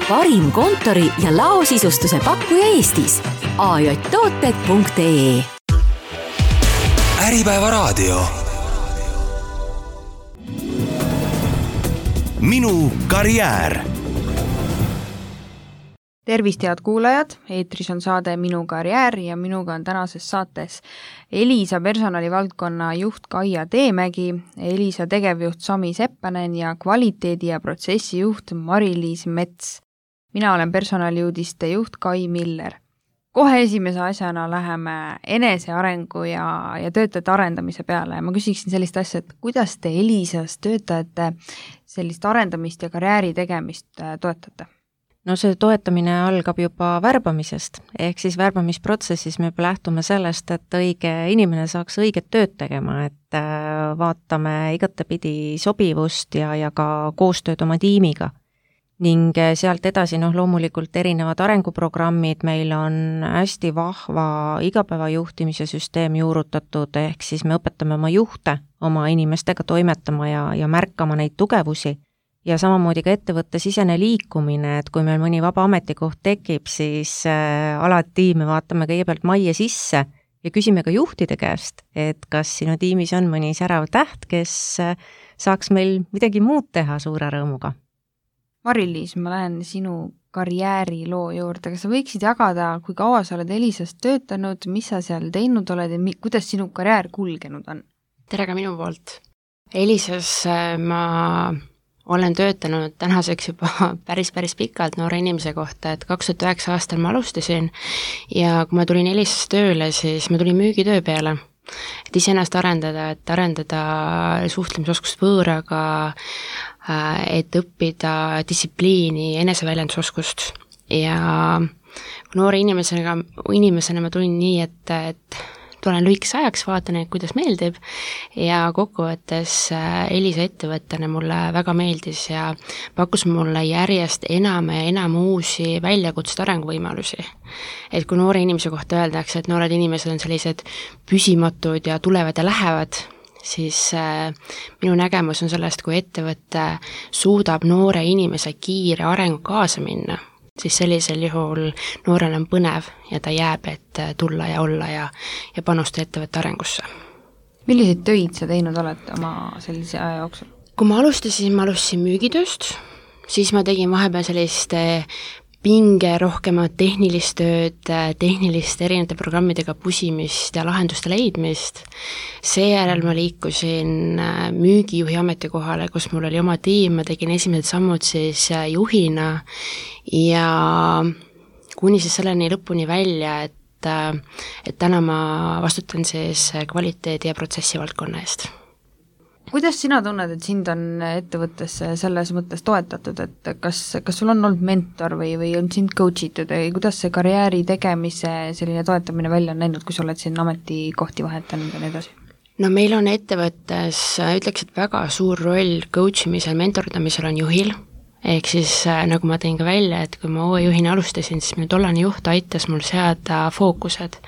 parim kontori ja laosisustuse pakkuja Eestis. ajtooted.ee. Äripäeva raadio. Minu karjäär. Tervist, head kuulajad! Eetris on saade Minu karjäär ja minuga on tänases saates Elisa personalivaldkonna juht Kaia Teemägi, Elisa tegevjuht Sami Seppänen ja kvaliteedi- ja protsessijuht Mari-Liis Mets. Mina olen personaliuudiste juht Kai Miller. Kohe esimese asjana läheme enesearengu ja töötajate arendamise peale. Ma küsiksin sellist asja, et kuidas te Elisas töötajate sellist arendamist ja karjääri tegemist toetate? No see toetamine algab juba värbamisest, ehk siis värbamisprotsessis me lähtume sellest, et õige inimene saaks õiget tööd tegema, et vaatame igatepidi sobivust ja ka koostööd oma tiimiga. Ning sealt edasi loomulikult erinevad arenguprogrammid, meil on hästi vahva igapäevajuhtimise süsteem juurutatud, ehk siis me õpetame oma juhte oma inimestega toimetama ja märkama neid tugevusi. Ja samamoodi ka ettevõtte sisene liikumine, et kui meil mõni vaba ametikoht tekib, siis alati me vaatame kõigepealt majja sisse ja küsime ka juhtide käest, et kas sinu tiimis on mõni särav täht, kes saaks meil midagi muud teha suure rõõmuga. Mari-Liis, ma lähen sinu karjääriloo juurde, kas sa võiksid jagada, kui kaua sa oled Elisas töötanud, mis sa seal teinud oled ja kuidas sinu karjäär kulgenud on? Tere ka minu poolt. Elisas ma olen töötanud tänaseks juba päris pikalt noore inimese kohta, et 2009 aastal ma alustasin ja kui ma tulin Elisas tööle, siis ma tulin müügitöö peale, et iseennast arendada, suhtlemisoskust võõraga, et õppida distsipliini, eneseväljendusoskust ja noore inimesena ma tulin nii, et tulen lühikese ajaks, vaatan, kuidas meeldib ja kokkuvõttes Elisa ettevõttena mulle väga meeldis ja pakkus mulle järjest enam ja enam uusi väljakutseid arenguvõimalusi. Et kui noore inimese kohta öeldakse, et noored inimesed on sellised püsimatud ja tulevad ja lähevad, siis minu nägemus on sellest, kui ettevõte suudab noore inimese kiire arengu kaasa minna, siis sellisel juhul noorel on põnev ja ta jääb, et tulla ja olla ja panustada ettevõtte arengusse. Milliseid töid sa teinud oled oma sellise aja jooksul? Kui ma alustasin müügitööst, siis ma tegin vahepeal sellist pinge rohkemat tehnilist tööd, tehnilist erinevate programmidega pusimist ja lahenduste leidmist. Seejärel ma liikusin müügijuhi ametikohale, kus mul oli oma tiim, ma tegin esimesed sammud siis juhina ja kuni siis selleni lõpuni välja, et täna ma vastutan siis kvaliteedi ja protsessi valdkonna eest. Kuidas sina tunned, et sind on ettevõttes selles mõttes toetatud, et kas sul on olnud mentor või on sind coach itud või kuidas see karjääri tegemise selline toetamine välja on näinud, kui sa oled siin ametikohti vahetanud ja nii edasi? No meil on ettevõttes, ütleks, et väga suur roll coach imisel, mentordamisel on juhil, ehk siis nagu ma tõin ka välja, et kui ma uue juhina alustasin, siis minu tollane juht aitas mul seada fookused,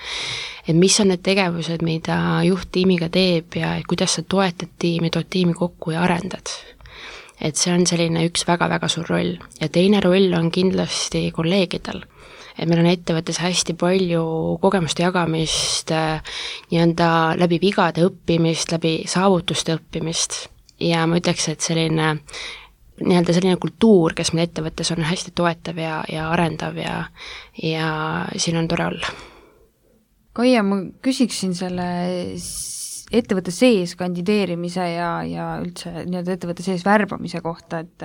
et mis on need tegevused, mida juht tiimiga teeb ja kuidas sa toetad tiimi, tood tiimi kokku ja arendad. Et see on selline üks väga suur roll. Ja teine roll on kindlasti kolleegidel. Et meil on ettevõttes hästi palju kogemuste jagamist, läbi vigade õppimist, läbi saavutuste õppimist. Ja ma ütleks, et selline kultuur, kes meil ettevõttes on hästi toetav ja arendav ja siin on tore olla. Kaia, ma küsiksin selle ettevõtte sees kandideerimise ja üldse ettevõtte sees värbamise kohta, et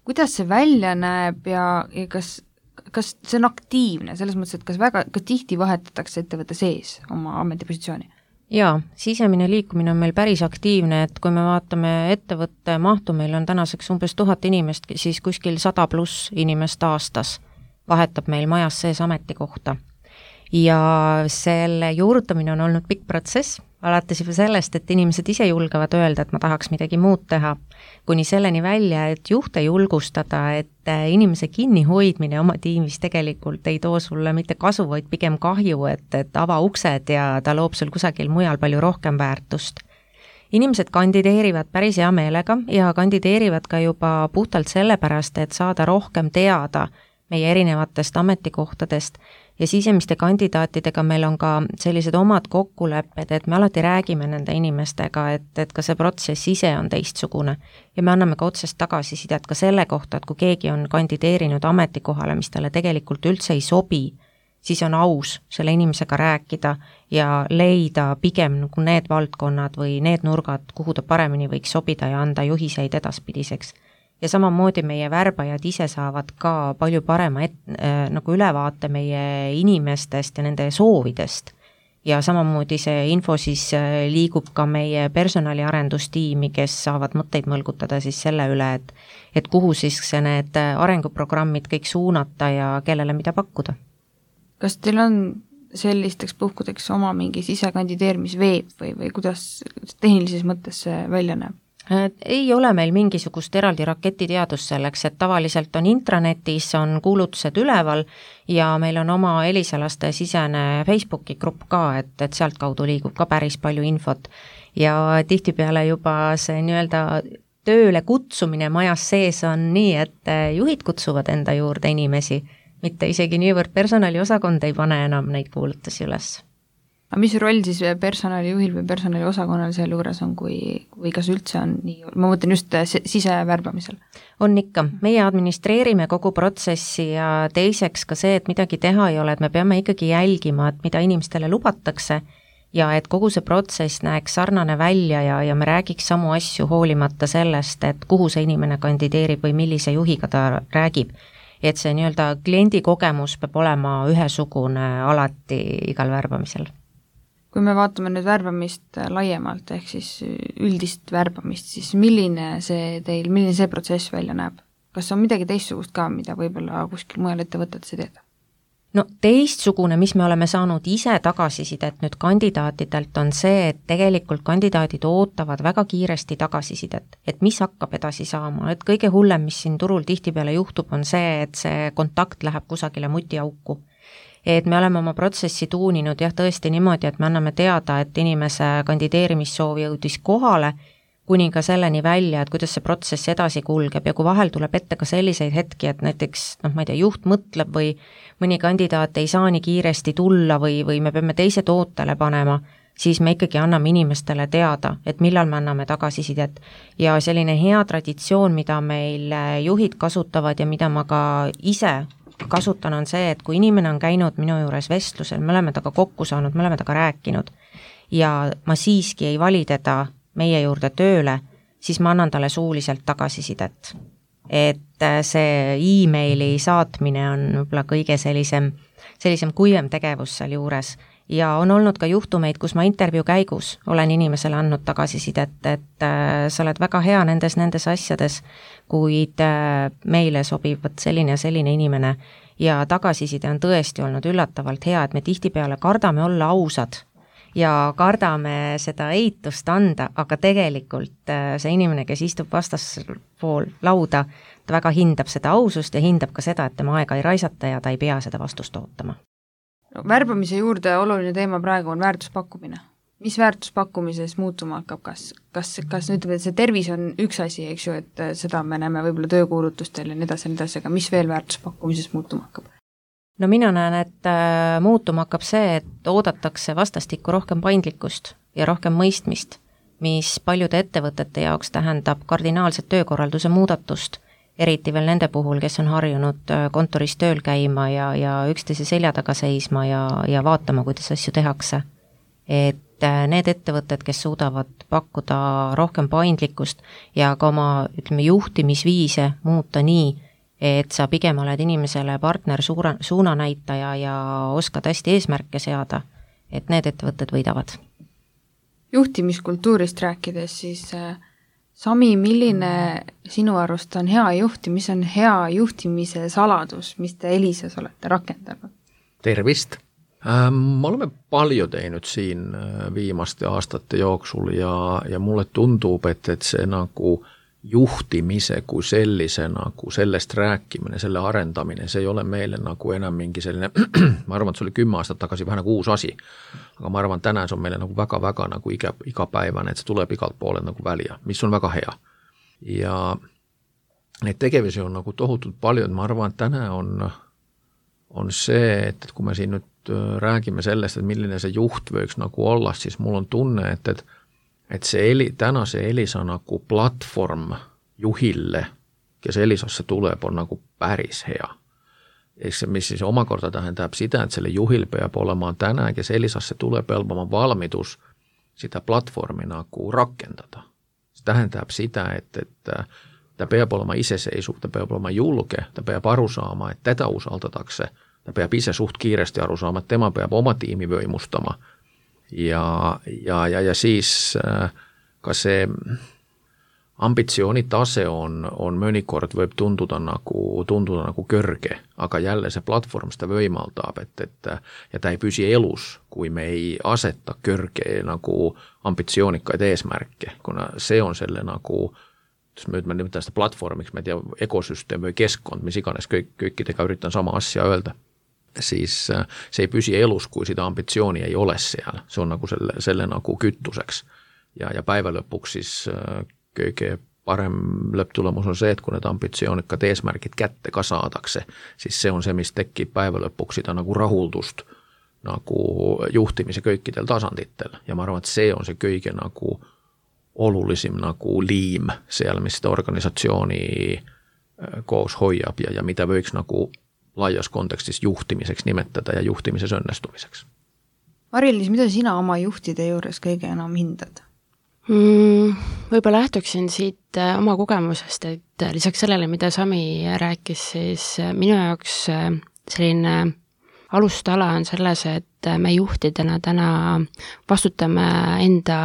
kuidas see välja näeb ja kas see on aktiivne, selles mõttes, et kas tihti vahetatakse ettevõtte sees oma ametipositsiooni? Jaa, sisemine liikumine on meil päris aktiivne, et kui me vaatame ettevõtte mahtu, meil on tänaseks umbes 1000 inimest, siis kuskil 100+ inimest aastas vahetab meil majas sees ametikohta. Ja selle juurutamine on olnud pikk protsess, alates juba sellest, et inimesed ise julgevad öelda, et ma tahaks midagi muud teha, kuni selleni välja, et juhte julgustada, et inimese kinnihoidmine oma tiimis tegelikult ei too sulle mitte kasu, vaid pigem kahju, et ava uksed ja ta loob sul kusagil mujal palju rohkem väärtust. Inimesed kandideerivad päris hea meelega ja kandideerivad ka juba puhtalt sellepärast, et saada rohkem teada meie erinevatest ametikohtadest ja sisemiste kandidaatidega meil on ka sellised omad kokkulepped, et me alati räägime nende inimestega, et ka see protsess ise on teistsugune ja me anname ka otsest tagasisidet ka selle kohta, et kui keegi on kandideerinud ametikohale, mis talle tegelikult üldse ei sobi, siis on aus selle inimesega rääkida ja leida pigem nagu need valdkonnad või need nurgad, kuhu ta paremini võiks sobida ja anda juhiseid edaspidiseks. Ja samamoodi meie värbajad ise saavad ka palju parema nagu ülevaate meie inimestest ja nende soovidest. Ja samamoodi see info siis liigub ka meie personaliarendustiimi, kes saavad mõtteid mõlgutada siis selle üle, et kuhu siis need arenguprogrammid kõik suunata ja kellele mida pakkuda. Kas teil on sellisteks puhkudeks oma mingi sisekandideerimisveeb või kuidas tehnilises mõttes see välja näeb? Ei ole meil mingisugust eraldi raketiteadust selleks, et tavaliselt on intranetis, on kuulutused üleval ja meil on oma Elisalaste sisene Facebooki grupp ka, et sealt kaudu liigub ka päris palju infot ja tihtipeale juba see nii-öelda tööle kutsumine majas sees on nii, et juhid kutsuvad enda juurde inimesi, mitte isegi niivõrd personaliosakond ei pane enam neid kuulutusi üles. Aga mis roll siis personalijuhil või personaliosakonnal seal juures on, või kas üldse on nii, ma mõtlen just sisevärbamisel? On ikka, meie administreerime kogu protsessi ja teiseks ka see, et midagi teha ei ole, et me peame ikkagi jälgima, et mida inimestele lubatakse ja et kogu see protsess näeks sarnane välja ja me räägiks samu asju hoolimata sellest, et kuhu see inimene kandideerib või millise juhiga ta räägib. Et see nii-öelda kliendi kogemus peab olema ühesugune alati igal värbamisel. Kui me vaatame nüüd värbamist laiemalt, ehk siis üldist värbamist, siis milline see protsess välja näeb? Kas on midagi teistsugust ka, mida võib-olla kuskil mujal ettevõtted see teeda? No teistsugune, mis me oleme saanud ise tagasisidet nüüd kandidaatidelt, on see, et tegelikult kandidaadid ootavad väga kiiresti tagasisidet, et mis hakkab edasi saama, et kõige hullem, mis siin turul tihtipeale juhtub, on see, et see kontakt läheb kusagile mutiauku. Et me oleme oma protsessi tuuninud jah tõesti niimoodi, et me anname teada, et inimese kandideerimissoov jõudis kohale, kuni ka selleni välja, et kuidas see protsess edasi kulgeb ja kui vahel tuleb ette ka selliseid hetki, et näiteks, ma ei tea, juht mõtleb või mõni kandidaat ei saa nii kiiresti tulla või me peame teised ootele panema, siis me ikkagi anname inimestele teada, et millal me anname tagasisidet. Ja selline hea traditsioon, mida meil juhid kasutavad ja mida ma ka ise kasutan, on see, et kui inimene on käinud minu juures vestlusel, me oleme taga kokku saanud, me oleme taga rääkinud ja ma siiski ei vali teda meie juurde tööle, siis ma annan talle suuliselt tagasisidet. Et see e-maili saatmine on võib-olla kõige sellisem kuivem tegevus seal juures ja on olnud ka juhtumeid, kus ma intervjuu käigus olen inimesele andnud tagasisidet, et sa oled väga hea nendes asjades, kuid meile sobib selline ja selline inimene ja tagasiside on tõesti olnud üllatavalt hea, et me tihtipeale kardame olla ausad ja kardame seda eitust anda, aga tegelikult see inimene, kes istub vastaspool lauda, ta väga hindab seda ausust ja hindab ka seda, et tema aega ei raisata ja ta ei pea seda vastust ootama. Värbamise juurde oluline teema praegu on väärtuspakkumine. Mis väärtuspakkumises muutuma hakkab? Kas ütleme, et see tervis on üks asi, eks ju, et seda me näeme võib-olla töökuulutustel ja nii edasi, aga mis veel väärtuspakkumises muutuma hakkab? No mina näen, et muutuma hakkab see, et oodatakse vastastikku rohkem paindlikkust ja rohkem mõistmist, mis paljude ettevõtete jaoks tähendab kardinaalset töökorralduse muudatust, eriti veel nende puhul, kes on harjunud kontoris tööl käima ja üksteise selja taga seisma ja vaatama, kuidas asju tehakse. Et need ettevõtted, kes suudavad pakkuda rohkem paindlikkust ja ka oma juhtimisviise muuta nii, et sa pigem oled inimesele partner suunanäitaja ja oskad hästi eesmärke seada, et need ettevõtted võidavad. Juhtimiskultuurist rääkides, siis Sami, milline sinu arust on hea juht ja mis on hea juhtimise saladus, mis te Elisas olete rakendanud? Tervist! Me oleme palju teinud siin viimaste aastate jooksul ja mulle tundub, et see nagu juhtimise kui sellise, nagu sellest rääkimine, selle arendamine, see ei ole meile nagu enam mingi selline, ma arvan, et see oli 10 aastat tagasi vähe nagu uus asi, aga ma arvan, täna see on meile nagu väga-väga nagu igapäevane, et see tuleb igalt poole nagu välja, mis on väga hea. Ja neid tegevusi on nagu tohutult palju, et ma arvan, et täna on see, et kui me siin nüüd räägime sellest, et milline see juht võiks nagu olla, siis mul on tunne, et see tänase Elisa nagu platvorm juhille, kes Elisasse tuleb, on nagu päris hea. Eks see, mis siis omakorda tähendab sitä, et selle juhil peab olema täna, kes Elisasse tuleb, peab olema valmidus sitä platvormi nagu rakendada. See tähendab sitä, et ta peab olema iseseisuv, ta peab olema julge, ta peab aru saama, et teda usaldatakse, ta peab ise suht kiiresti aru saama, et tema peab oma tiimi võimustama ja siis ka see ambitsioonitase on mõnikord võib tunduda nagu kõrge, aga jälle see platvorm seda võimaldab, ja ta ei püsi elus, kui me ei aseta kõrge nagu ambitsioonikaid eesmärke, kuna see on selle nagu me nimetan seda platvormiks, ma ei tea, ökosüsteem või keskkond, mis iganes kõikidega üritan sama asja öelda, siis see ei püsi elus, kui seda ambitsiooni ei ole seal. See on nagu selle nagu kütuseks. Ja päeva lõpuks siis kõige parem lõpptulemus on see, et kui need ambitsioonikad eesmärgid kätte ka saadakse, siis see on see, mis tekib päeva lõpuks seda nagu rahuldust nagu juhtimise kõikidel tasanditel. Ja ma arvan, et see on see kõige nagu olulisim nagu liim seal, mis seda organisatsiooni koos hoiab ja mida võiks nagu laias kontekstis juhtimiseks nimetada ja juhtimises õnnestumiseks. Mari-Liis, mida sina oma juhtide juures kõige enam hindad? Võib-olla lähtuksin siit oma kogemusest, et lisaks sellele, mida Sami rääkis, siis minu jaoks selline alustala on selles, et me juhtidena täna vastutame enda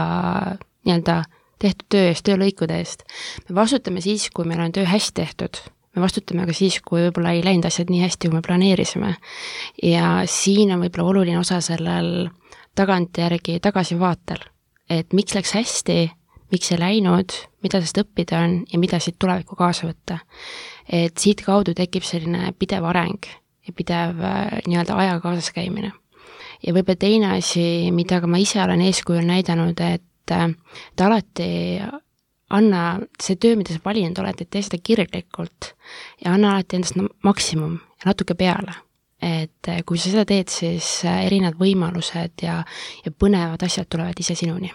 nii-öelda tehtud töö eest, töölõikude eest. Me vastutame siis, kui meil on töö hästi tehtud. Me vastutame ka siis, kui võib-olla ei läinud asjad nii hästi, kui me planeerisime. Ja siin on võib-olla oluline osa sellel tagantjärgi tagasivaatel, et miks läks hästi, miks ei läinud, mida sest õppida on ja mida siit tulevikku kaasa võtta. Et siit kaudu tekib selline pidev areng ja pidev nii-öelda ajaga kaasas käimine. Ja võib-olla teine asi, mida ka ma ise olen eeskujul näidanud, et ta alati anna see töö, mida sa valinud oled, et tee seda kirglikult ja anna alati endast maksimum ja natuke peale. Et kui sa seda teed, siis erinevad võimalused ja põnevad asjad tulevad ise sinuni.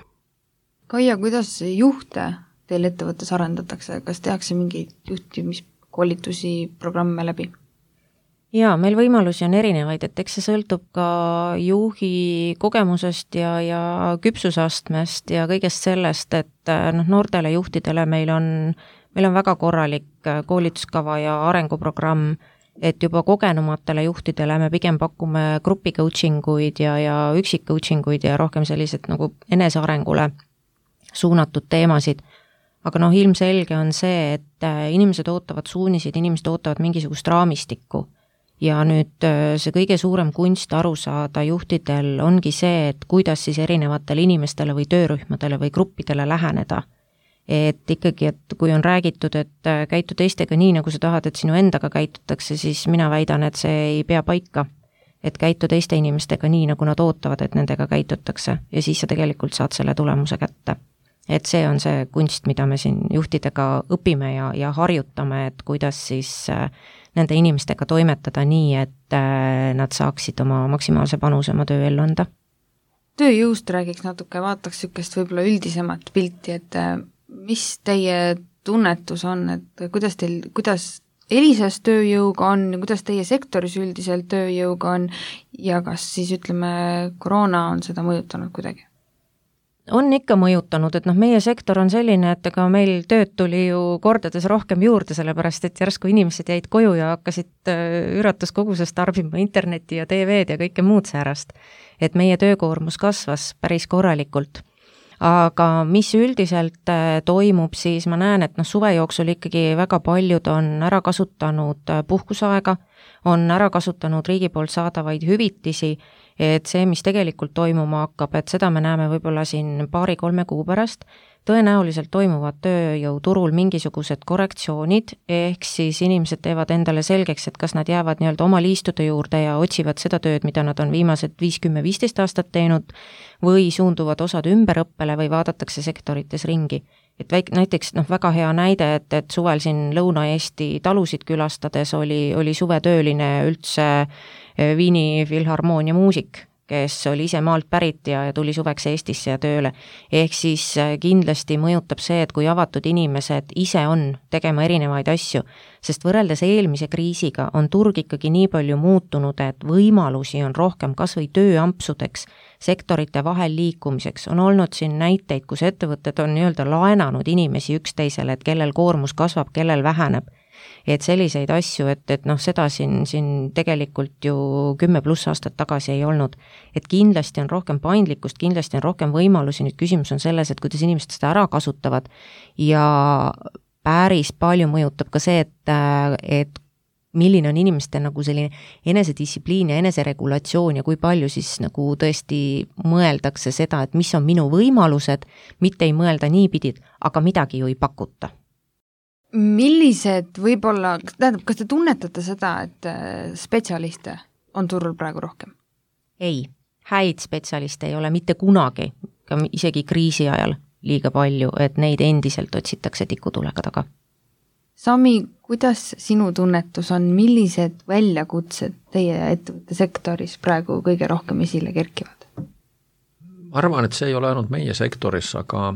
Kaia, kuidas juhte teil ettevõttes arendatakse? Kas tehakse mingeid juhtimiskoolitusi, programme läbi? Jaa, meil võimalusi on erinevaid, et eks see sõltub ka juhi kogemusest ja küpsusastmest ja kõigest sellest, et noortele juhtidele meil on väga korralik koolituskava ja arenguprogramm, et juba kogenumatele juhtidele me pigem pakume grupi coachinguid ja üksik coachinguid ja rohkem sellised nagu enesearengule suunatud teemasid. Aga ilmselge on see, et inimesed ootavad suunisid, inimesed ootavad mingisugust raamistikku. Ja nüüd see kõige suurem kunst aru saada juhtidel ongi see, et kuidas siis erinevatele inimestele või töörühmadele või gruppidele läheneda. Et ikkagi, et kui on räägitud, et käitu teistega nii, nagu sa tahad, et sinu endaga käitutakse, siis mina väidan, et see ei pea paika. Et käitu teiste inimestega nii, nagu nad ootavad, et nendega käitutakse ja siis sa tegelikult saad selle tulemuse kätte. Et see on see kunst, mida me siin juhtidega õpime ja harjutame, et kuidas siis nende inimestega toimetada nii, et nad saaksid oma maksimaalse panuse oma töö ellu anda. Tööjõust räägiks natuke, vaataks sükest võib-olla üldisemat pilti, et mis teie tunnetus on, et kuidas Elisas tööjõuga on, kuidas teie sektoris üldiselt tööjõuga on ja kas siis koroona on seda mõjutanud kuidagi? On ikka mõjutanud, et meie sektor on selline, et ega meil tööd tuli ju kordades rohkem juurde, sellepärast et järsku inimesed jäid koju ja hakkasid üratuskogusest tarbima internetti ja TV-d ja kõike muud säärast. Et meie töökoormus kasvas päris korralikult. Aga mis üldiselt toimub, siis ma näen, et suve jooksul ikkagi väga paljud on ära kasutanud puhkusaega, on ära kasutanud riigi poolt saadavaid hüvitisi, et see, mis tegelikult toimuma hakkab, et seda me näeme võib-olla siin 2-3 kuu pärast, tõenäoliselt toimuvad tööjõuturul mingisugused korrektsioonid, ehk siis inimesed teevad endale selgeks, et kas nad jäävad nii-öelda oma liistude juurde ja otsivad seda tööd, mida nad on viimased 5-10-15 aastat teinud, või suunduvad osad ümberõppele või vaadatakse sektorites ringi. Et näiteks väga hea näide, et suvel siin Lõuna-Eesti talusid külastades oli suvetööline üldse Viini Filharmoonia muusik, kes oli ise maalt pärit ja tuli suveks Eestisse ja tööle. Ehk siis kindlasti mõjutab see, et kui avatud inimesed ise on tegema erinevaid asju, sest võrreldes eelmise kriisiga on turg ikkagi nii palju muutunud, et võimalusi on rohkem kas või tööampsudeks, sektorite vahel liikumiseks. On olnud siin näiteid, kus ettevõtted on nii-öelda laenanud inimesi üksteisele, et kellel koormus kasvab, kellel väheneb. Et selliseid asju, et seda siin tegelikult ju 10+ aastat tagasi ei olnud. Et kindlasti on rohkem paindlikkust, kindlasti on rohkem võimalusi, nüüd küsimus on selles, et kuidas inimesed seda ära kasutavad ja päris palju mõjutab ka see, et milline on inimeste nagu selline enesedistsipliin ja eneseregulatsioon ja kui palju siis nagu tõesti mõeldakse seda, et mis on minu võimalused, mitte ei mõelda niipidi, aga midagi ju ei pakuta. Millised võib-olla, tähendab, kas te tunnetate seda, et spetsialiste on turul praegu rohkem? Ei, häid spetsialiste ei ole mitte kunagi, ka isegi kriisi ajal liiga palju, et neid endiselt otsitakse tikutulega taga. Sami, kuidas sinu tunnetus on, millised väljakutsed teie ettevõtte sektoris praegu kõige rohkem esile kerkivad? Ma arvan, et see ei ole ainult meie sektoris, aga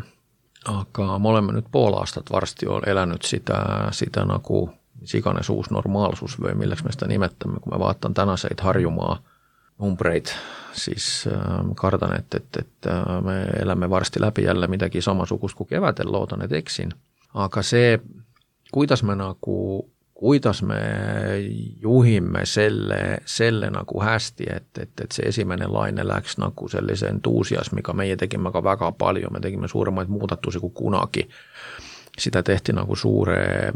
me oleme nüüd pool aastat varsti elänud sitä nagu mis iganes uus normaalsus või milleks me seda nimetame, kui me vaatan tänaseid Harjumaa numbreid, siis kardan, et me eläme varsti läbi jälle midagi samasugust kui kevadel, loodan, et eksin. Aga see, kuidas me juhime selle nagu hästi, et see esimene laine läks nagu sellise entuusiasmiga, meie tegime ka väga palju, me tegime suuremaid muudatusi kui kunagi. Sitä tehti nagu suure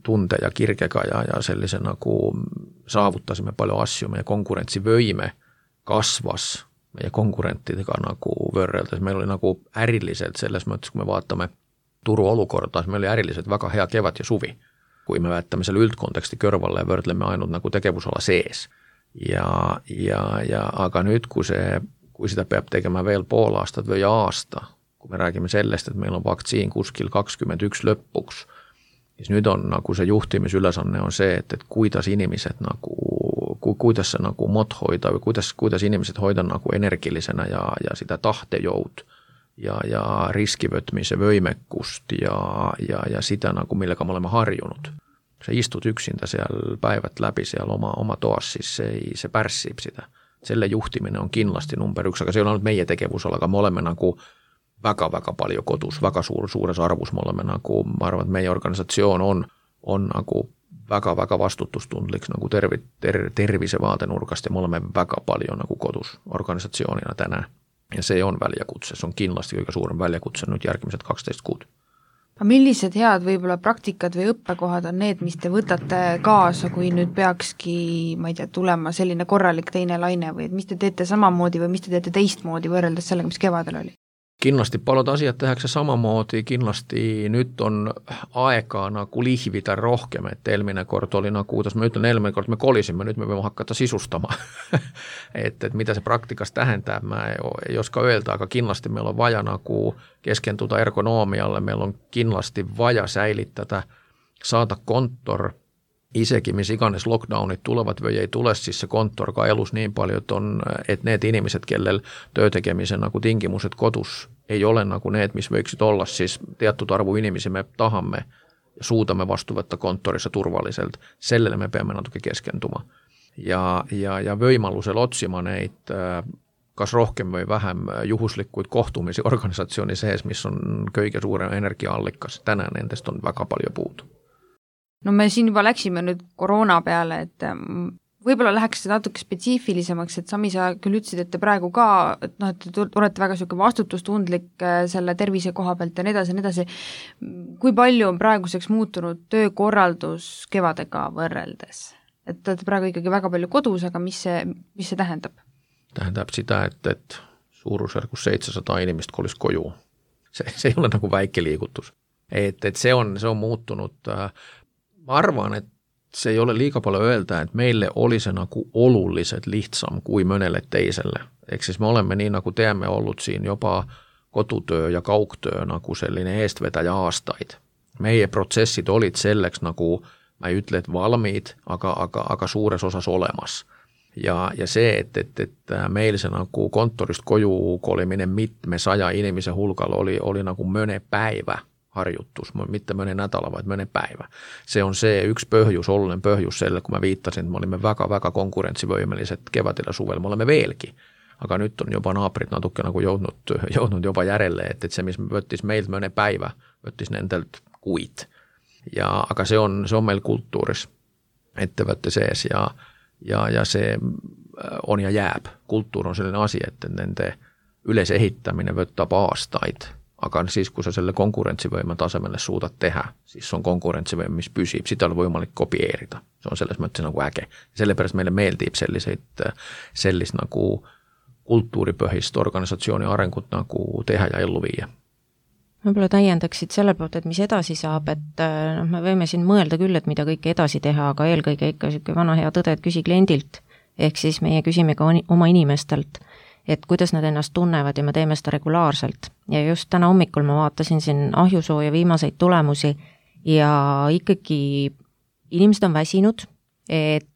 tunde ja kirgega ja sellise nagu saavutasime palju asju, meie konkurentsivõime kasvas meie konkurentidega nagu võrreldes, meil oli nagu äriliselt selles mõttes, kui me vaatame turu olukorda, meil oli äriliselt väga hea kevad ja suvi. Kui me vaatame selle üldkonteksti kõrvale ja võrdleme ainult nagu tegevusala sees. Aga nüüd, kui seda peab tegema veel pool aastat või aasta, kui me räägime sellest, et meil on vaktsiin kuskil 21 lõpuks, siis nüüd on nagu see juhtimisülesanne on see, et kuidas inimesed nagu, kuidas see nagu mod hoida või kuidas inimesed hoida nagu energilisena ja sitä tahtejoud ja riskivõtmise võimekust ja sitä nagu, millega me oleme harjunud. Sa istud üksinda seal päivat läbi seal oma toas, siis see pärssib sitä. Selle juhtimine on kindlasti number 1, aga see ei ole ainult meie tegevusala, aga me oleme nagu väga-väga palju kodus, väga suures arvus me oleme nagu, ma arvan, et meie organisatsioon on nagu väga-väga vastutustundlik nagu tervisevaade nurgast ja me oleme väga palju nagu kodus organisatsioonina täna. Ja see on väljakutse, see on kindlasti kõige suurem väljakutse nüüd järgmised 12 kuud. Aga millised head võib-olla praktikad või õppekohad on need, mis te võtate kaasa, kui nüüd peakski, ma ei tea, tulema selline korralik teine laine või mis te teete samamoodi või mis te teete teistmoodi võrreldes sellega, mis kevadel oli? Kindlasti paljud asiat tehakse samamoodi, kindlasti nüüd on aega nagu lihvida rohkem, et eelmine kord oli nagu, kuidas ma ütlen, eelmine kord me kolisime, nüüd me võime hakata sisustama. et mida see praktikas tähendab, ma ei oska öelda, aga kindlasti meil on vaja nagu keskenduda ergonoomialle, meil on kindlasti vaja säilitada, saada kontor, isegi mis iganes lockdownid tulevad või ei tule, siis see kontor ka elus nii palju, et need inimesed, kellel töötegemise nagu tingimused kodus ei ole nagu need, mis võiksid olla, siis teatud arvu inimesi me tahame ja suudame vastu võtta kontorisse turvaliselt. Sellele me peame natuke keskenduma. Ja võimalusel otsima neid kas rohkem või vähem juhuslikuid kohtumisi organisatsiooni sees, mis on kõige suurem energiaallikas. Täna nendest on väga palju puudu. No me siin juba läksime nüüd koroona peale, et võib-olla läheks natuke spetsiifilisemaks, et Sami, sa küll ütlesid, et te praegu ka, et te olete väga selline vastutustundlik selle tervise koha pealt ja nii edasi. Kui palju on praeguseks muutunud töökorraldus kevadega võrreldes? Et te olete praegu ikkagi väga palju kodus, aga mis see tähendab? Tähendab seda, et suurusjärgus 700 inimest kolis koju. see ei ole nagu väike liigutus. Et see on muutunud, ma arvan, et see ei ole liiga palju öelda, et meille oli see nagu oluliselt lihtsam kui mõnele teisele. Ehk siis me oleme nii nagu teeme olnud siin juba kodutöö ja kaugtöö nagu selline eestvedaja aastaid. Meie protsessid olid selleks nagu, ma ei ütle, et valmiid, aga suures osas olemas. Ja see, et meil see nagu kontorist koju kolimine mitmesaja inimese hulgal oli nagu mõne päivä harjutus, mitte mõne nädala, vaid mõne päivä. See on see üks põhjus, oluline põhjus selle, kui ma viitasin, et me olime väga-väga konkurentsivõimelised kevadel ja suvel, me oleme veelgi. Aga nüüd on juba naabrid natuke nagu jõudnud juba järele, et see, mis võttis meilt mõne päivä, võttis nendelt kuid. Aga see on meil kultuuris ettevõtte sees ja see on ja jääb. Kultuur on selline asi, et nende ülesehitamine võtab aastaid, aga siis, kui sa selle konkurentsivõime tasemele suudad teha, siis on konkurentsivõime, mis püsib, seda on võimalik kopieerida. See on selles mõttes nagu äge. Sellepärast meile meeldib sellist nagu kultuuripõhist organisatsiooni arengut nagu teha ja ellu viia. Võib-olla täiendaksid selle poolt, et mis edasi saab, et me võime siin mõelda küll, et mida kõike edasi teha, aga eelkõige ikka selline vana hea tõde, et küsi kliendilt, ehk siis meie küsime ka oma inimestelt, et kuidas nad ennast tunnevad ja me teeme seda regulaarselt. Ja just täna hommikul ma vaatasin siin ahjusooja viimaseid tulemusi ja ikkagi inimesed on väsinud, et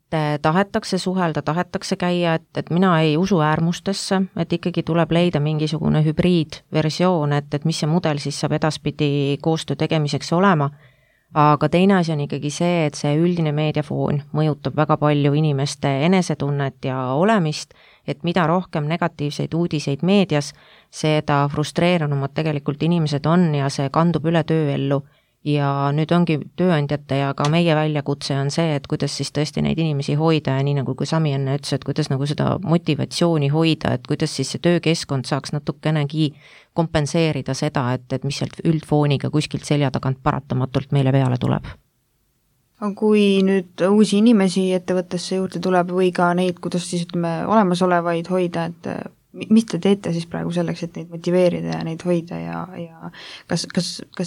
tahetakse suhelda, tahetakse käia, et mina ei usu äärmustesse, et ikkagi tuleb leida mingisugune hübriidversioon, et mis see mudel siis saab edaspidi koostöö tegemiseks olema. Aga teine asi on ikkagi see, et see üldine meediafoon mõjutab väga palju inimeste enesetunnet ja olemist, et mida rohkem negatiivseid uudiseid meedias, seda frustreerunumad tegelikult inimesed on ja see kandub üle tööellu. Ja nüüd ongi tööandjate ja ka meie väljakutse on see, et kuidas siis tõesti neid inimesi hoida ja nii nagu kui Sami enne ütles, et kuidas nagu seda motivatsiooni hoida, et kuidas siis see töökeskkond saaks natukenegi kompenseerida seda, et mis sealt üldfooniga kuskilt selja tagant paratamatult meile peale tuleb. Kui nüüd uusi inimesi ettevõttesse juurde tuleb või ka neid, kuidas siis olemasolevaid hoida, et mis te teete siis praegu selleks, et neid motiveerida ja neid hoida ja kas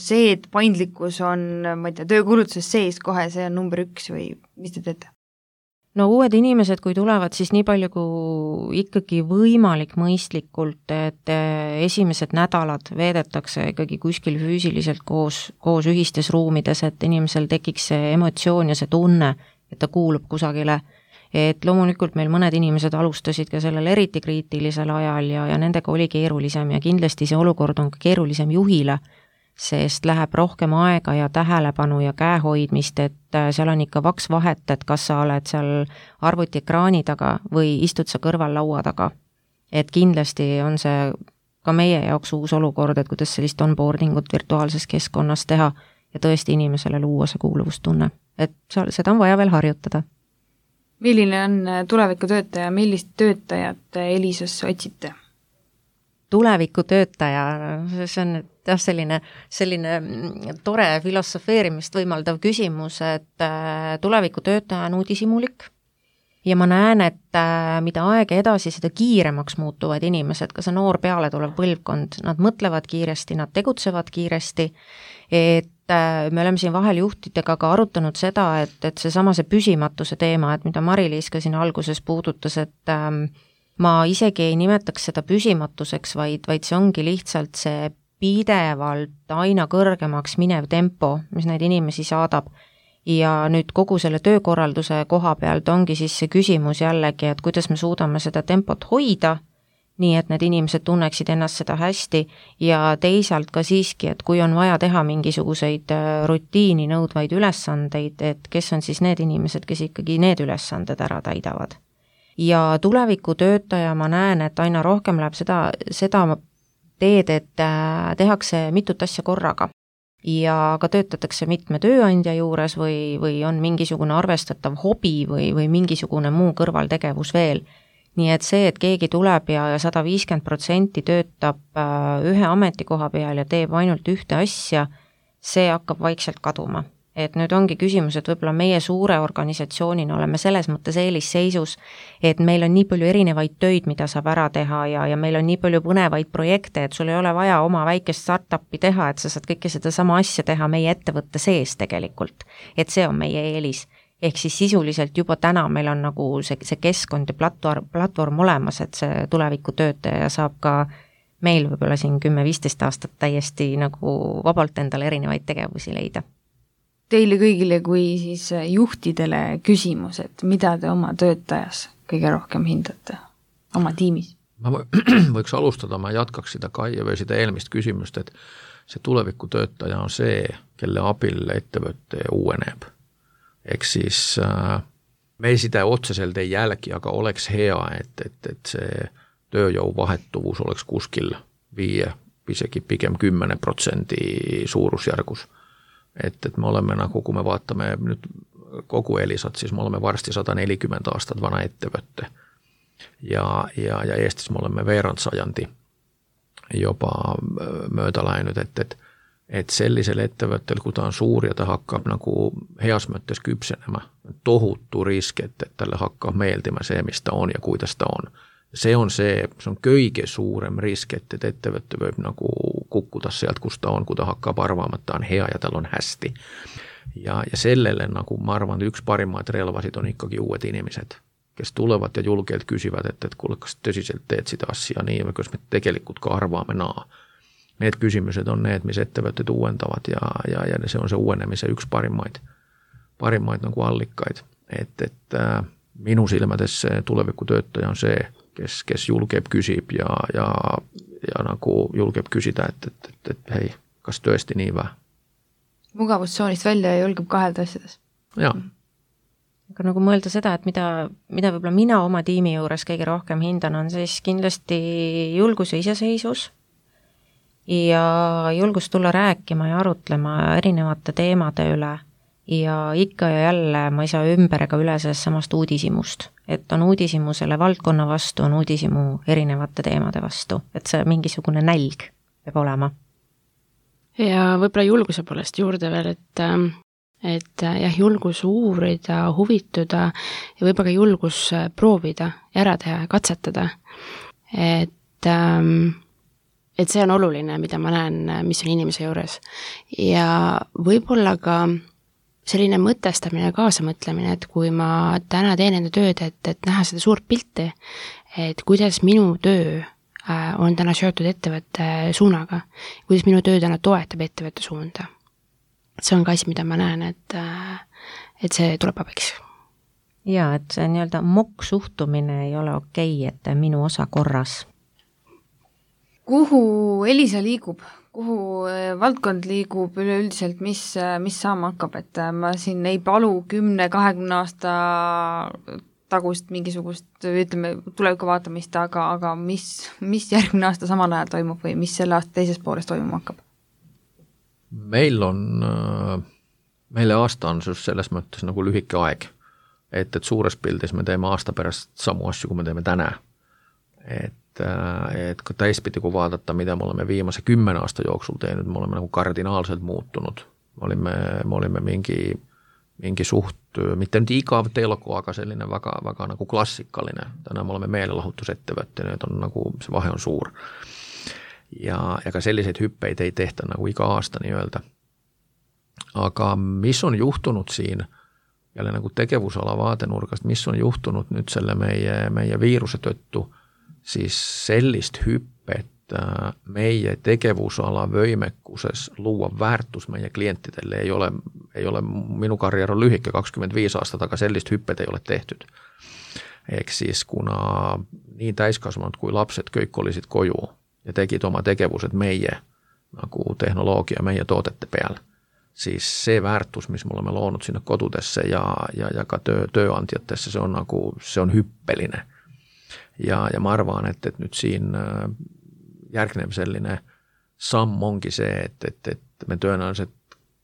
see, et paindlikkus on, ma ei tea, töökulutuses sees kohe, see on number 1 või mis te teete? No uued inimesed, kui tulevad, siis nii palju kui ikkagi võimalik mõistlikult, et esimesed nädalad veedetakse ikkagi kuskil füüsiliselt koos ühistes ruumides, et inimesel tekiks see emotsioon ja see tunne, et ta kuulub kusagile. Et loomulikult meil mõned inimesed alustasid ka sellel eriti kriitilisel ajal ja nendega oli keerulisem ja kindlasti see olukord on ka keerulisem juhile, sest läheb rohkem aega ja tähelepanu ja käehoidmist, et seal on ikka vaks vahet, et kas sa oled seal arvutiekraani taga või istud sa kõrval laua taga. Et kindlasti on see ka meie jaoks uus olukord, et kuidas sellist onboardingut virtuaalses keskkonnas teha ja tõesti inimesele luua see kuuluvustunne. Et seda on vaja veel harjutada. Milline on tulevikutöötaja, millist töötajat Elisasse otsite? Tulevikutöötaja, see on selline tore filosofeerimist võimaldav küsimus, et tulevikutöötaja on uudishimulik ja ma näen, et mida aega edasi, seda kiiremaks muutuvad inimesed, ka see noor peale tulev põlvkond, nad mõtlevad kiiresti, nad tegutsevad kiiresti, et me oleme siin vahel juhtidega ka arutanud seda, et seesama see püsimatuse teema, et mida Mari-Liis ka siin alguses puudutas, et ma isegi ei nimetaks seda püsimatuseks, vaid see ongi lihtsalt see pidevalt aina kõrgemaks minev tempo, mis neid inimesi saadab. Ja nüüd kogu selle töökorralduse koha pealt ongi siis see küsimus jällegi, et kuidas me suudame seda tempot hoida, nii et need inimesed tunneksid ennast seda hästi ja teisalt ka siiski, et kui on vaja teha mingisuguseid rutiini nõudvaid ülesandeid, et kes on siis need inimesed, kes ikkagi need ülesanded ära täidavad. Ja tulevikutöötaja ma näen, et aina rohkem läheb seda teed, et tehakse mitut asja korraga ja ka töötatakse mitme tööandja juures või on mingisugune arvestatav hobi või mingisugune muu kõrvaltegevus veel. Nii et see, et keegi tuleb ja 150% töötab ühe ametikoha peal ja teeb ainult ühte asja, see hakkab vaikselt kaduma. et nüüd ongi küsimus, et võib-olla meie suure organisatsioonina oleme selles mõttes eelisseisus, et meil on nii palju erinevaid töid, mida saab ära teha ja meil on nii palju põnevaid projekte, et sul ei ole vaja oma väikest startupi teha, et sa saad kõike seda sama asja teha meie ettevõtte sees tegelikult. Et see on meie eelis. Ehk siis sisuliselt juba täna meil on nagu see keskkond ja platvorm olemas, et see tuleviku töötaja saab ka meil võib-olla siin 10-15 aastat täiesti nagu vabalt endale erinevaid tegevusi leida. Teile kõigile kui siis juhtidele küsimus, et mida te oma töötajas kõige rohkem hindate oma tiimis? Ma võiks alustada, ma jatkaks seda Kaie või seda eelmist küsimust, et see tuleviku töötaja on see, kelle abil ettevõte uueneb. Ehk siis me seda otseselt ei jälgi, aga oleks hea, et see tööjõu vahetuvus oleks kuskil 5, isegi pigem 10% suurusjärgus. Et me oleme nagu, kui me vaatame nüüd kogu Elisat, siis me oleme varsti 140 aastat vana ettevõtte. Ja Eestis me oleme veerand sajandi juba mööda läinud, et sellisel ettevõttel, kui ta on suur ja ta hakkab nagu heas mõttes küpsenema, tohutu risk, et talle hakkab meeldima see, mis ta on ja kuidas ta on. See on kõige suurem risk, et ettevõte võib nagu kukkuda sealt, kus ta on, kui ta hakkab arvama, et ta on hea ja tal on hästi. Ja sellele, nagu ma arvan, üks parimaid relvasid on ikkagi uued inimesed, kes tulevad ja julgelt küsivad, et kuule, kas tõsiselt teed seda asja nii või kas me tegelikult ka arvame naa. Need küsimused on need, mis ettevõtted uuendavad ja see on see uuenemise üks parimaid nagu allikaid. Et minu silmades tuleviku töötaja on see, kes julgeb küsib ja nagu julgeb küsida, et hei, kas tõesti nii või? Mugavustsoonist välja ja julgeb kahelda asjades. Jaa. Aga nagu mõelda seda, et mida võib-olla mina oma tiimi juures kõige rohkem hindan, on siis kindlasti julgus ja iseseisus ja julgus tulla rääkima ja arutlema erinevate teemade üle ja ikka ja jälle ma ei saa ümber ega üle sellest samast uudishimust, et on uudishimu selle valdkonna vastu, on uudishimu erinevate teemade vastu, et see mingisugune nälg peab olema. Ja võib-olla julguse poolest juurde veel, et jah, julgus uurida, huvituda ja võib-olla ka julgus proovida, ära teha ja katsetada, et see on oluline, mida ma näen, mis on inimese juures. Ja võib-olla ka selline mõtestamine ja kaasamõtlemine, et kui ma täna teen enda tööd, et näha seda suurt pilti, et kuidas minu töö on täna seotud ettevõtte suunaga, kuidas minu töö täna toetab ettevõtte suunda. See on ka asi, mida ma näen, et see tuleb abiks. Jaa, et see nii-öelda mokk suhtumine ei ole okei, et minu osa korras. Kuhu Elisa liigub? Kuhu valdkond liigub üleüldiselt, mis saama hakkab, et ma siin ei palu 10-20 aasta tagust mingisugust, ütleme, tuleviku vaatamist, aga mis järgmine aasta samal ajal toimub või mis selle aasta teises pooles toimuma hakkab? Meile aasta on selles mõttes nagu lühike aeg, et suures pildis me teeme aasta pärast samu asju, kui me teeme täna. Et kui täispidi, kui vaadata, mida me oleme viimase 10 aasta jooksul teinud, me oleme nagu kardinaalselt muutunud. Me olime mingi suht, mitte nüüd igav telko, aga selline väga nagu klassikaline. Täna me oleme meelelahutusettevõtte, need on nagu, see vahe on suur. Ja ka selliseid hüppeid ei tehta nagu iga aasta nii öelda. Aga mis on juhtunud siin, jälle nagu tegevusala vaadenurgast, mis on juhtunud nüüd selle meie viiruse tõttu, siis sellist hüppet meie tegevusala võimekuses luua väärtus meie klientidele ei ole minu karjäär on lühike 25 aastat, aga sellist hüppet ei ole tehtud. Ehk siis kuna nii täiskasvanud kui lapsed kõik olisid koju ja tegid oma tegevused meie nagu tehnoloogia meie toodete peal, siis see väärtus, mis me oleme loonud sinna kodudesse ja ka tööandjatesse, see on hüppeline. Ja ma arvan, et nüüd siin järgnev selline samm ongi see, et me tõenäoliselt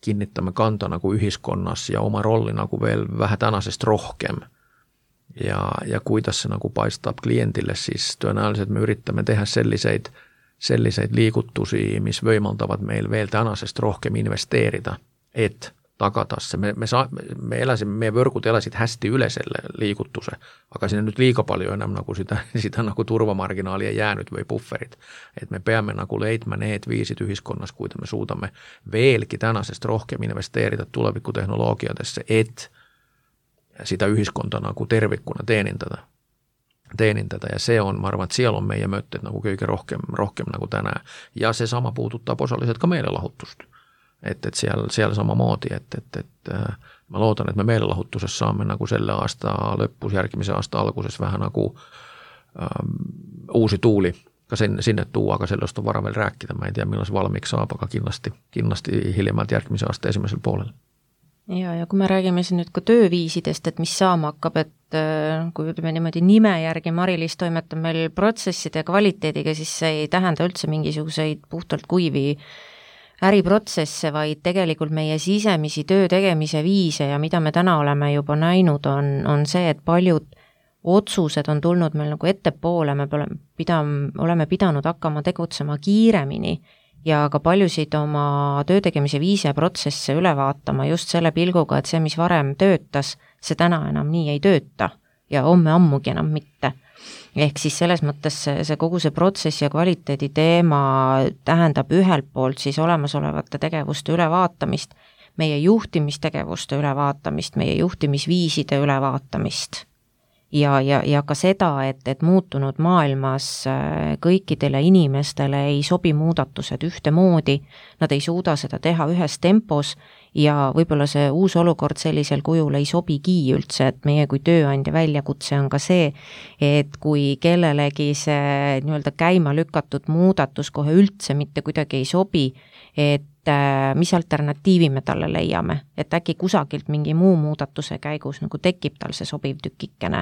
kinnitame kanda nagu ühiskonnas ja oma rolli nagu veel vähe tänasest rohkem. Ja kuidas see nagu paistab kliendile, siis tõenäoliselt me üritame teha selliseid liigutusi, mis võimaldavad meil veel tänasest rohkem investeerida, et tagada se. Me eläsimme, meie võrgud elasid hästi üle selle liigutuse, aga sinne nüüd liiga palju enam nagu sitä nagu turvamarginaali ei jäänyt või pufferit. Et me peame nagu leidma need viisid ühiskonnas, kuida me suudamme veelgi tänasest rohkem investeerida tulevikutehnoloogiadesse, et sitä ühiskonda nagu tervikuna teenindada ja se on, ma arvan, et seal on meie mõtted nagu kõige rohkem nagu tänään. Ja se sama puudutab osaliselt ka meelelahutust. Et seal samamoodi, et ma loodan, et me meelelahutuses saamme nagu selle aasta lõpus, järgmise aasta alguses vähän nagu uusi tuuli ka sinne tuua, aga sellest on vara veel rääkida. Ma ei tea, milles valmiiksi saab, aga kindlasti hiljemalt järgmise aasta esimesel poolel. Ja kui me räägime siin nüüd ka tööviisidest, et mis saama hakkab, et kui ütleme niimoodi nime järgi Mari-Liis toimetab meil protsesside kvaliteediga, siis see ei tähenda üldse mingisuguseid puhtalt kuivi äriprotsesse, vaid tegelikult meie sisemisi töö tegemise viise ja mida me täna oleme juba näinud, on see, et paljud otsused on tulnud meil nagu ettepoole, me oleme pidanud hakkama tegutsema kiiremini ja ka paljusid oma töö tegemise viise ja protsesse üle vaatama just selle pilguga, et see, mis varem töötas, see täna enam nii ei tööta ja homme ammugi enam mitte. Ehk siis selles mõttes see kogu see protsessi ja kvaliteedi teema tähendab ühelt poolt siis olemasolevate tegevuste ülevaatamist, meie juhtimistegevuste ülevaatamist, meie juhtimisviiside ülevaatamist ja ka seda, et muutunud maailmas kõikidele inimestele ei sobi muudatused ühtemoodi, nad ei suuda seda teha ühes tempos ja võib-olla see uus olukord sellisel kujul ei sobigi üldse, et meie kui tööandja väljakutse on ka see, et kui kellelegi see nii-öelda käima lükatud muudatus kohe üldse mitte kuidagi ei sobi, et mis alternatiivi me talle leiame, et äkki kusagilt mingi muu muudatuse käigus nagu tekib tal see sobiv tükikene.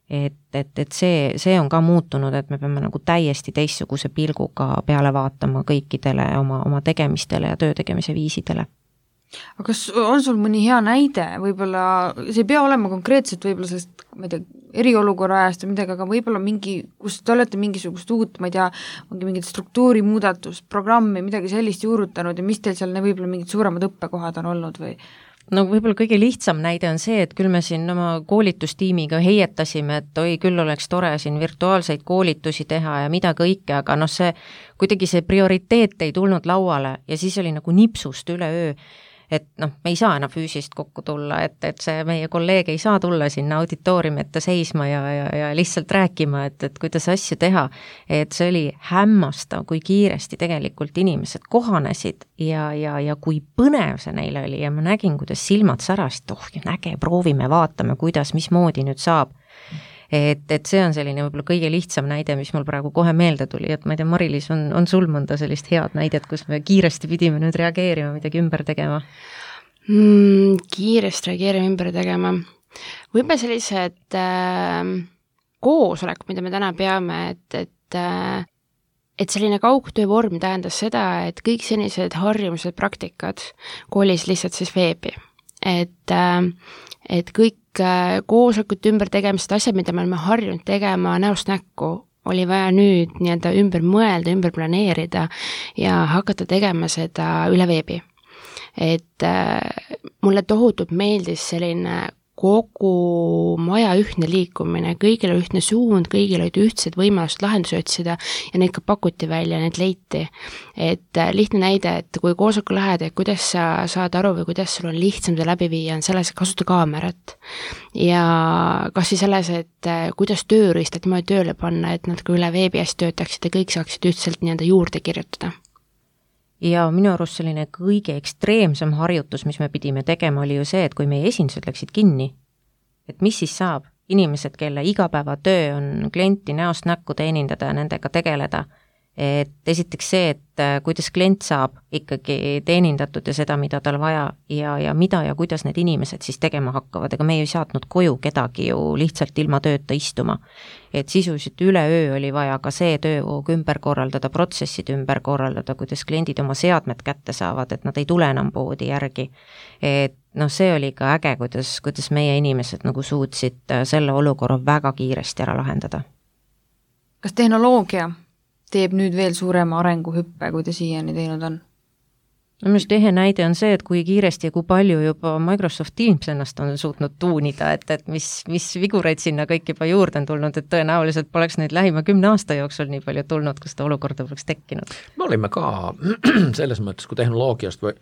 Et see on ka muutunud, et me peame nagu täiesti teistsuguse pilguga peale vaatama kõikidele oma tegemistele ja töö tegemise viisidele. Aga kas on sul mõni hea näide, võib-olla, see ei pea olema konkreetselt võib-olla sellest, ma ei tea, eriolukorra ajast või midagi, aga võib-olla mingi, kus te olete mingisugust uut, ma ei tea, mingit struktuurimuudatust, programmi, midagi sellist juurutanud ja mis teil seal võib-olla mingid suuremad õppekohad on olnud või? No võib-olla kõige lihtsam näide on see, et küll me siin oma koolitustiimiga heietasime, et oi, küll oleks tore siin virtuaalseid koolitusi teha ja mida kõike, aga see kuidagi see prioriteet ei tulnud lauale ja siis oli nagu nipsust üleöö, et me ei saa enam füüsist kokku tulla, et see meie kolleeg ei saa tulla sinna auditooriumi ette seisma ja lihtsalt rääkima, et kuidas asju teha, et see oli hämmastav, kui kiiresti tegelikult inimesed kohanesid ja kui põnev see neile oli ja ma nägin, kuidas silmad särasid, proovime, vaatame, kuidas, mismoodi nüüd saab. Et see on selline võib-olla kõige lihtsam näide, mis mul praegu kohe meelde tuli, et ma ei tea, Mari-Liis, on sul mõnda sellist head näidet, kus me kiiresti pidime nüüd reageerima, midagi ümber tegema? Kiiresti reageerima, ümber tegema. Võib-olla sellised koosolekud, mida me täna peame, et selline kaugtöövorm tähendas seda, et kõik senised harjumused, praktikad koolis lihtsalt siis veebi. Et kõik koosolekut ümber tegemised, asjad, mida me oleme harjunud tegema näost näkku, oli vaja nüüd nii-öelda ümber mõelda, ümber planeerida ja hakata tegema seda üle veebi. Et mulle tohutult meeldis selline kogu maja ühtne liikumine, kõigil oli ühtne suund, kõigil olid ühtsed võimalused lahendusi otsida ja neid ka pakuti välja, need leiti. Et lihtne näide, et kui koosoleku lähed, et kuidas sa saad aru või kuidas sul on lihtsam seda läbi viia, on selles, et kasuta kaamerat. Ja kas siis selles, et kuidas tööriistad niimoodi tööle panna, et nad ka üle veebi hästi töötaksid ja kõik saaksid ühtselt nii-enda juurde kirjutada. Ja minu arust selline kõige ekstreemsem harjutus, mis me pidime tegema, oli ju see, et kui meie esindused läksid kinni, et mis siis saab? Inimesed, kelle igapäevatöö on klienti näost näkku teenindada ja nendega tegeleda, et esiteks see, et kuidas klient saab ikkagi teenindatud ja seda, mida tal vaja ja mida ja kuidas need inimesed siis tegema hakkavad, ega me ei saatnud koju kedagi ju lihtsalt ilma tööta istuma. Et sisuliselt üleöö oli vaja ka see töövoog ümber korraldada, protsessid ümber korraldada, kuidas kliendid oma seadmed kätte saavad, et nad ei tule enam poodi järgi. Et see oli ka äge, kuidas meie inimesed nagu suutsid selle olukorra väga kiiresti ära lahendada. Kas tehnoloogia teeb nüüd veel suurema arenguhüppe, kui ta siiani teinud on? no minu ehe näide on see, et kui kiiresti ja kui palju juba Microsoft Teams ennast on suutnud tuunida, et mis vigureid sinna kõik juba juurde on tulnud, et tõenäoliselt poleks neid lähima 10 aasta jooksul nii palju tulnud, kus ta olukorda poleks tekkinud. Me olime ka selles mõttes, kui tehnoloogiast või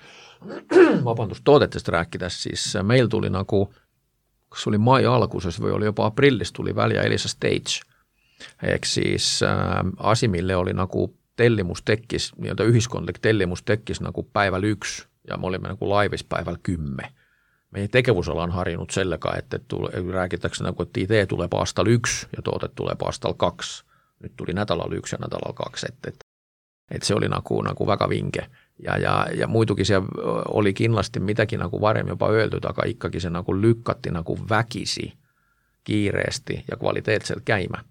toodetest rääkides, siis meil tuli nagu, kas oli mai alguses või oli juba aprillis, tuli välja Elisa Stage. Ehk siis asi, mille oli nagu tellimus tekkis, nii-öelda ühiskondlik tellimus tekkis nagu päeval 1 ja me olime nagu laivis päeval 10. Meie tegevusala on harinud sellega, et räägitakse nagu, et idee tuleb aastal 1 ja toodet tuleb aastal 2. Nüüd tuli nädalal 1 ja nädalal 2, et see oli nagu väga vinge. Ja muidugi see oli kindlasti midagi nagu varem juba öeldud, aga ikkagi see nagu lükati nagu vägisi kiiresti ja kvaliteetselt käima.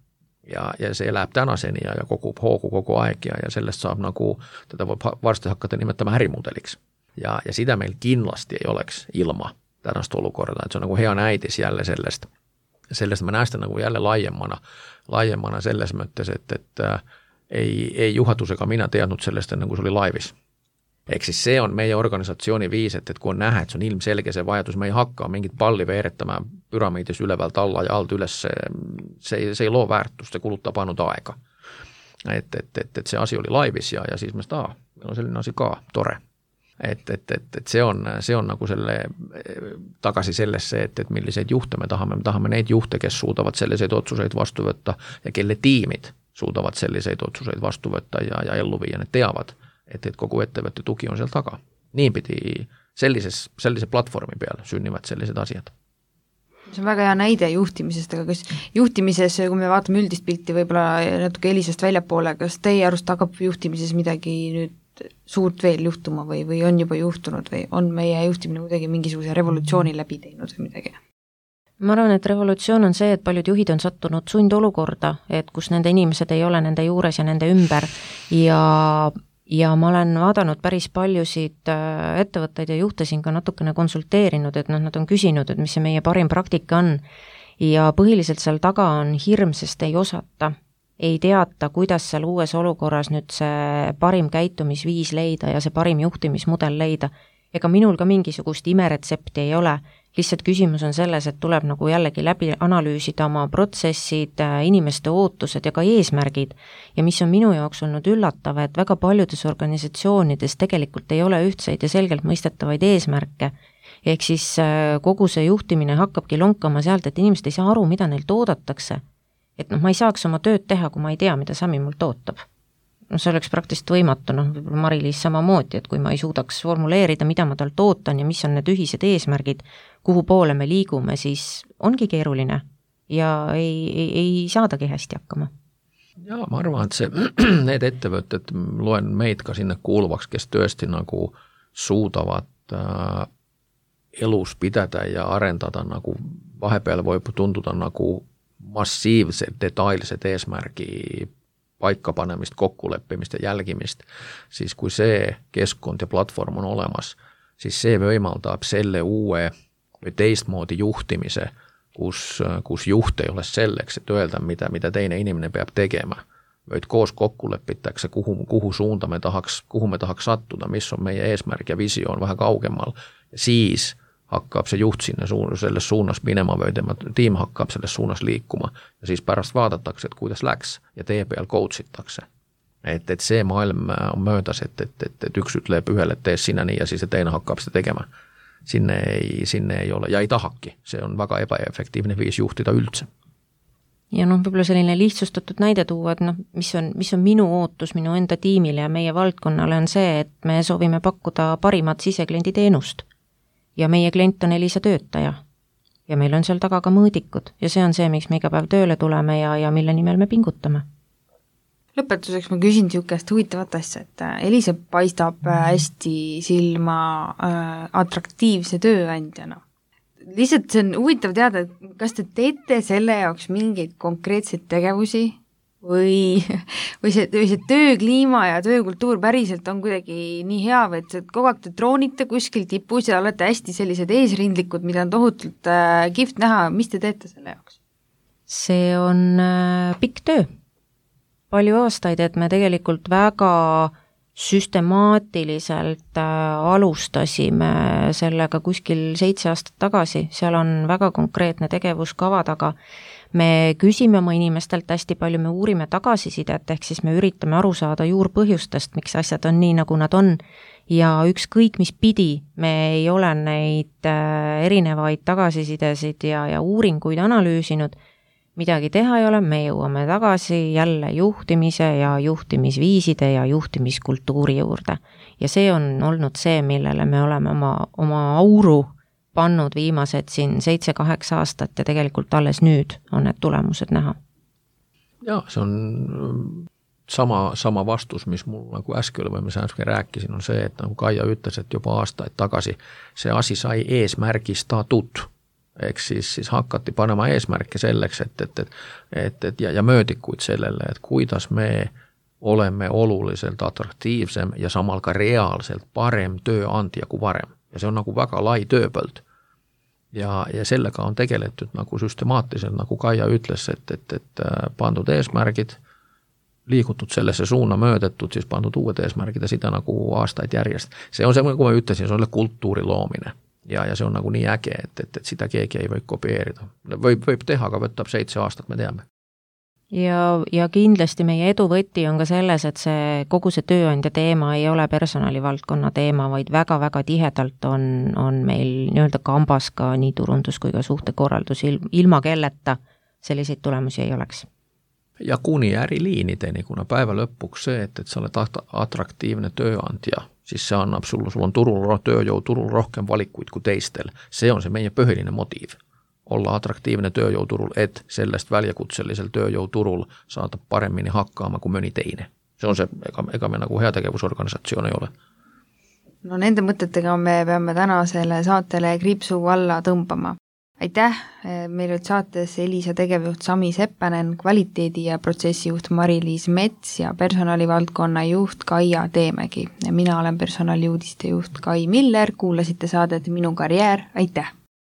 Ja see läheb tänaseni ja kogub hoogu kogu aeg ja sellest saab nagu, teda võib varsti hakata nimetama ärimudeliks. Ja sitä meil kindlasti ei oleks ilma tänast olukorda, et see on nagu hea näidis jälle sellest. Sellest ma näestan nagu jälle laiemana selles mõttes, et ei juhatusega mina teadnud sellest, nagu see oli laivis. Ehk siis see on meie organisatsiooni viis, et kui on näha, et see on ilmselge see vajadus, me ei hakka mingit palli veeretama püramiidis ülevalt alla ja alt üles, see ei loo väärtust, see kulutab ainult aega. Et see asi oli laivis ja siis me seda, meil on selline asi ka, tore. Et see on nagu selle tagasi sellesse, et milliseid juhte me tahame neid juhte, kes suudavad selliseid otsuseid vastu võtta ja kelle tiimid suudavad selliseid otsuseid vastu võtta ja ellu viia, need teavad, et kogu ettevõtte tugi on seal taga. Niipidi sellise platvormi peal sünnivad sellised asjad. See on väga hea näide juhtimisest, aga kas juhtimises, kui me vaatame üldist pilti võib-olla natuke Elisast väljapoole, kas teie arust hakkab juhtimises midagi nüüd suurt veel juhtuma või on juba juhtunud või on meie juhtimine kuidagi mingisuguse revolutsiooni läbi teinud või midagi? Ma arvan, et revolutsioon on see, et paljud juhid on sattunud sundolukorda, et kus nende inimesed ei ole nende juures ja nende ümber ja ma olen vaadanud päris paljusid ettevõtteid ja juhte siin ka natukene konsulteerinud, et nad on küsinud, et mis see meie parim praktika on ja põhiliselt seal taga on hirm, sest ei osata, ei teata, kuidas seal uues olukorras nüüd see parim käitumisviis leida ja see parim juhtimismudel leida. Ega minul ka mingisugust imeretsepti ei ole, lihtsalt küsimus on selles, et tuleb nagu jällegi läbi analüüsida oma protsessid, inimeste ootused ja ka eesmärgid. Ja mis on minu jaoks olnud üllatav, et väga paljudes organisatsioonides tegelikult ei ole ühtseid ja selgelt mõistetavaid eesmärke. Ehk siis kogu see juhtimine hakkabki lonkama sealt, et inimesed ei saa aru, mida neilt oodatakse. Et ma ei saaks oma tööd teha, kui ma ei tea, mida Sami mult ootab. See oleks praktiliselt võimatu, võib-olla Mari-Liis samamoodi, et kui ma ei suudaks formuleerida, mida ma talt ootan ja mis on need ühised eesmärgid, kuhu poole me liigume, siis ongi keeruline ja ei saadagi hästi hakkama. Ja ma arvan, et need ettevõtted, loen meid ka sinne kuuluvaks, kes tõesti nagu suudavad elus pidada ja arendada nagu vahepeal võib tunduda nagu massiivsed, detailsed eesmärgi paikapanemist, kokkuleppimist ja jälgimist, siis kui see keskkond ja platvorm on olemas, siis see võimaldab selle uue või teistmoodi juhtimise, kus juht ei ole selleks, et öelda, mida teine inimene peab tegema, vaid koos kokkulepitakse, kuhu suunda kuhu me tahaks sattuda, mis on meie eesmärk ja visioon vähe kaugemal ja siis hakkab see juht sinna selles suunas minema või tema tiim hakkab selles suunas liikuma ja siis pärast vaadatakse, et kuidas läks ja tee peal coachitakse. Et see maailm on möödas, et üks ütleb ühele, et tee sinna nii ja siis teine hakkab seda tegema. Sinne ei ole ja ei tahaki. See on väga ebaefektiivne viis juhtida üldse. Ja võib-olla selline lihtsustatud näide tuua, et mis on minu ootus minu enda tiimile ja meie valdkonnale on see, et me soovime pakkuda parimat sisekliendi teenust. Ja meie klient on Elisa töötaja ja meil on seal taga ka mõõdikud ja see on see, miks me iga päev tööle tuleme ja mille nimel me pingutame. Lõpetuseks ma küsin niisugust huvitavat asja, et Elisa paistab hästi silma atraktiivse tööandjana. Lihtsalt see on huvitav teada, et kas te teete selle jaoks mingeid konkreetseid tegevusi või see töökliima ja töökultuur päriselt on kuidagi nii hea, või et kogu aeg te troonite kuskil tipus ja olete hästi sellised eesrindlikud, mida on tohutult kihvt näha, mis te teete selle jaoks? See on pikk töö. Palju aastaid, et me tegelikult väga süstemaatiliselt alustasime sellega kuskil 7 aastat tagasi, seal on väga konkreetne tegevuskava taga. Me küsime oma inimestelt hästi palju, me uurime tagasisidet, ehk siis me üritame aru saada juurpõhjustest, miks asjad on nii, nagu nad on, ja ükskõik mis pidi, me ei ole neid erinevaid tagasisidesid ja uuringuid analüüsinud, midagi teha ei ole, me jõuame tagasi jälle juhtimise ja juhtimisviiside ja juhtimiskultuuri juurde. Ja see on olnud see, millele me oleme oma auru pannud viimased siin 7-8 aastat ja tegelikult alles nüüd on need tulemused näha. Jaa, see on sama vastus, mis mul nagu äsken või mis äsken rääkisin, on see, et nagu Kaia ütles, et juba aastaid tagasi see asi sai eesmärgistatud. Ehk siis hakati panema eesmärke selleks, ja möödikuid sellele, et kuidas me oleme oluliselt atraktiivsem ja samal ka reaalselt parem tööandja kui varem. Ja see on nagu väga lai tööpõld. Ja sellega on tegeletud nagu süstemaatiliselt, nagu Kaia ütles, et pandud eesmärgid, liigutud sellesse suuna möödetud, siis pandud uued eesmärgid ja seda nagu aastaid järjest. See on see, nagu ma ütlesin, see on kultuuri loomine. Ja see on nagu nii äge, et seda keegi ei või kopieerida. Võib teha, aga võtab 7 aastat, me teame. Ja kindlasti meie eduvõti on ka selles, et kogu see tööandja teema ei ole personalivaldkonna teema, vaid väga-väga tihedalt on meil nii-öelda kambas ka nii turundus kui ka suhtekorraldus, ilma kelleta selliseid tulemusi ei oleks. Ja kuni äriliinideni, kuna päeva lõpuks see, et sa oled atraktiivne tööandja, siis see annab sul on tööjõuturul rohkem valikuid kui teistel. See on see meie põhiline motiiv. Olla atraktiivne tööjõuturul, et sellest väljakutselisel tööjõuturul saada paremini hakkama kui mõni teine. See on see, ega me nagu heategevusorganisatsioon ei ole. No nende mõtetega me peame tänasele saatele kriipsu alla tõmbama. Aitäh, meil olid saates Elisa tegevjuht Sami Seppänen, kvaliteedi- ja protsessijuht Mari-Liis Mets ja personalivaldkonna juht Kaia Teemägi. Mina olen personaliuudiste juht Kai Miller, kuulasite saadet Minu karjäär, aitäh!